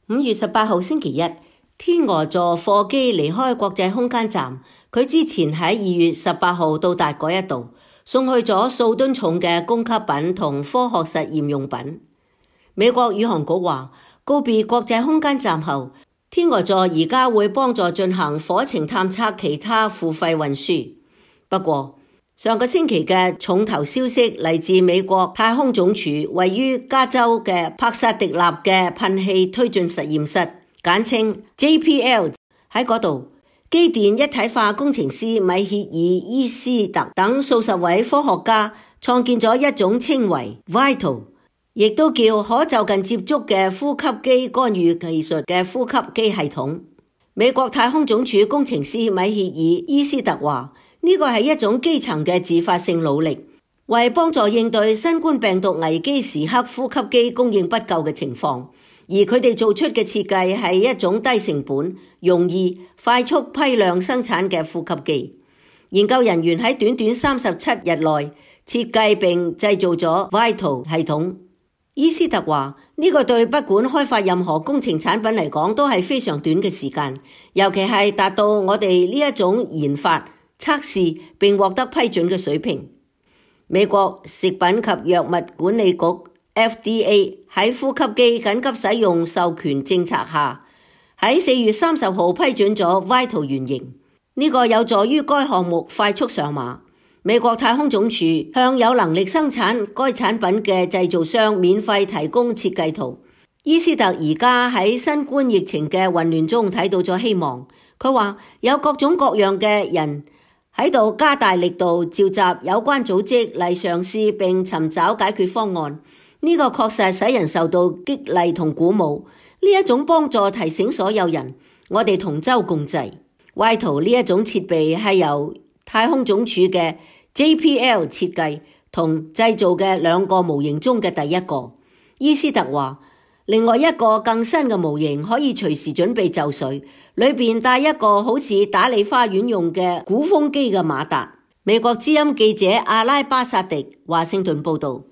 5月18號星期一，天鵝座貨機離開國際空間站，佢之前喺2月18號到達嗰一度，送去咗數噸重嘅供給品同科學實驗用品。美國宇航局話，告別國際空間站後，天鵝座而家會幫助進行火星探測其他付費運輸。不過，上個星期嘅重頭消息嚟自美國太空總署位於加州嘅帕薩迪納嘅噴氣推進實驗室，簡稱 JPL。 喺嗰度，機電一體化工程師米歇爾伊斯特等數十位科學家創建咗一種稱為 Vital， 亦都叫可就近接觸嘅呼吸機干預技術嘅呼吸機系統。美國太空總署工程師米歇爾伊斯特話，呢個係一種基層嘅自發性努力，為幫助應對新冠病毒危機時刻呼吸機供應不夠嘅情況，而佢哋做出嘅設計係一種低成本、容易、快速批量生產嘅呼吸機。研究人員喺短短37日內設計並製造咗 Vital 系統。伊斯特話，呢個對不管開發任何工程產品嚟講都係非常短嘅時間，尤其係達到我哋呢一種研發、測試並獲得批准嘅水平。美國食品及藥物管理局 FDA 喺呼吸機緊急使用授權政策下，喺4月30號批准咗 Vital 原型。呢個有助於該項目快速上馬。美國太空總署向有能力生產該產品嘅製造商免費提供設計圖。伊斯特而家喺新冠疫情嘅混亂中睇到咗希望。佢話有各種各樣嘅人喺度加大力度召集有關組織嚟嘗試並尋找解決方案。呢個確實使人受到激勵同鼓舞。呢一種幫助提醒所有人，我哋同舟共濟。Vital 呢一種設備係由太空總署嘅 JPL 設計同製造嘅2個模型中嘅第一個。伊斯特話，另外一個更新嘅模型可以隨時準備就緒，裏面帶一個好似打理花園用嘅鼓風機嘅馬達。美國之音記者阿拉巴薩迪華盛頓報道。